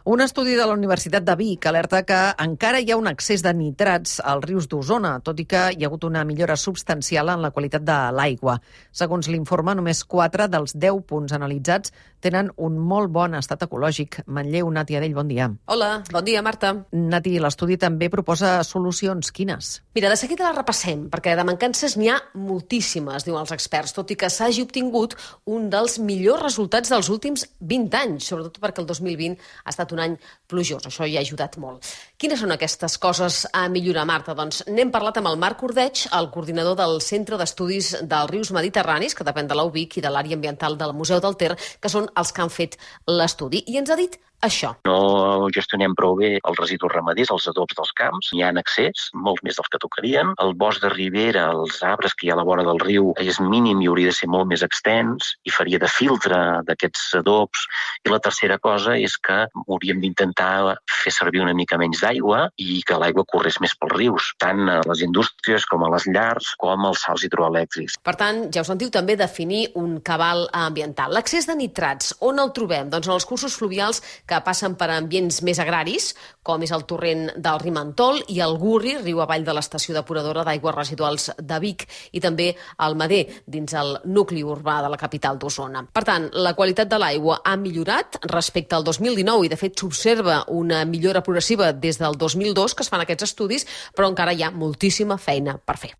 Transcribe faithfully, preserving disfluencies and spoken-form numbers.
Un estudi de la Universitat de Vic alerta que encara hi ha un excés de nitrats als rius d'Osona, tot i que hi ha hagut una millora substancial en la qualitat de l'aigua. Segons l'informe, només quatre dels deu punts analitzats tenen un molt bon estat ecològic. Manlleu, Nati Adell, bon dia. Hola, bon dia, Marta. Nati, l'estudi també proposa solucions. Quines? Mira, de seguida la repassem, perquè de mancances n'hi ha moltíssimes, diuen els experts, tot i que s'hagi obtingut un dels millors resultats dels últims vint anys, sobretot perquè el dos mil vint ha estat un any plujós. Això hi ha ajudat molt. Quines són aquestes coses a millorar, Marta? Doncs n'hem parlat amb el Marc Ordeig, el coordinador del Centre d'Estudis dels Rius Mediterranis, que depèn de l'U B I C i de l'àrea ambiental del Museu del Ter, que són els que han fet l'estudi. I ens ha dit això. No gestionem prou bé els residus ramaders, els adobs dels camps. Hi ha en excés, molts més dels que tocarien. El bosc de ribera, els arbres que hi ha a la vora del riu, és mínim i hauria de ser molt més extens i faria de filtre d'aquests adobs. I la tercera cosa és que hauríem d'intentar fer servir una mica menys d'aigua i que l'aigua corrés més pels rius, tant a les indústries com a les llars com als sals hidroelèctrics. Per tant, ja ho sentiu, també definir un cabal ambiental. L'accés de nitrats, on el trobem? Doncs en els cursos fluvials que passen per ambients més agraris, com és el torrent del Rimentol i el Gurri, riu avall de l'estació depuradora d'aigües residuals de Vic, i també el Mader, dins el nucli urbà de la capital d'Osona. Per tant, la qualitat de l'aigua ha millorat respecte al dos mil dinou i, de fet, s'observa una millora progressiva des del dos mil dos que es fan aquests estudis, però encara hi ha moltíssima feina per fer.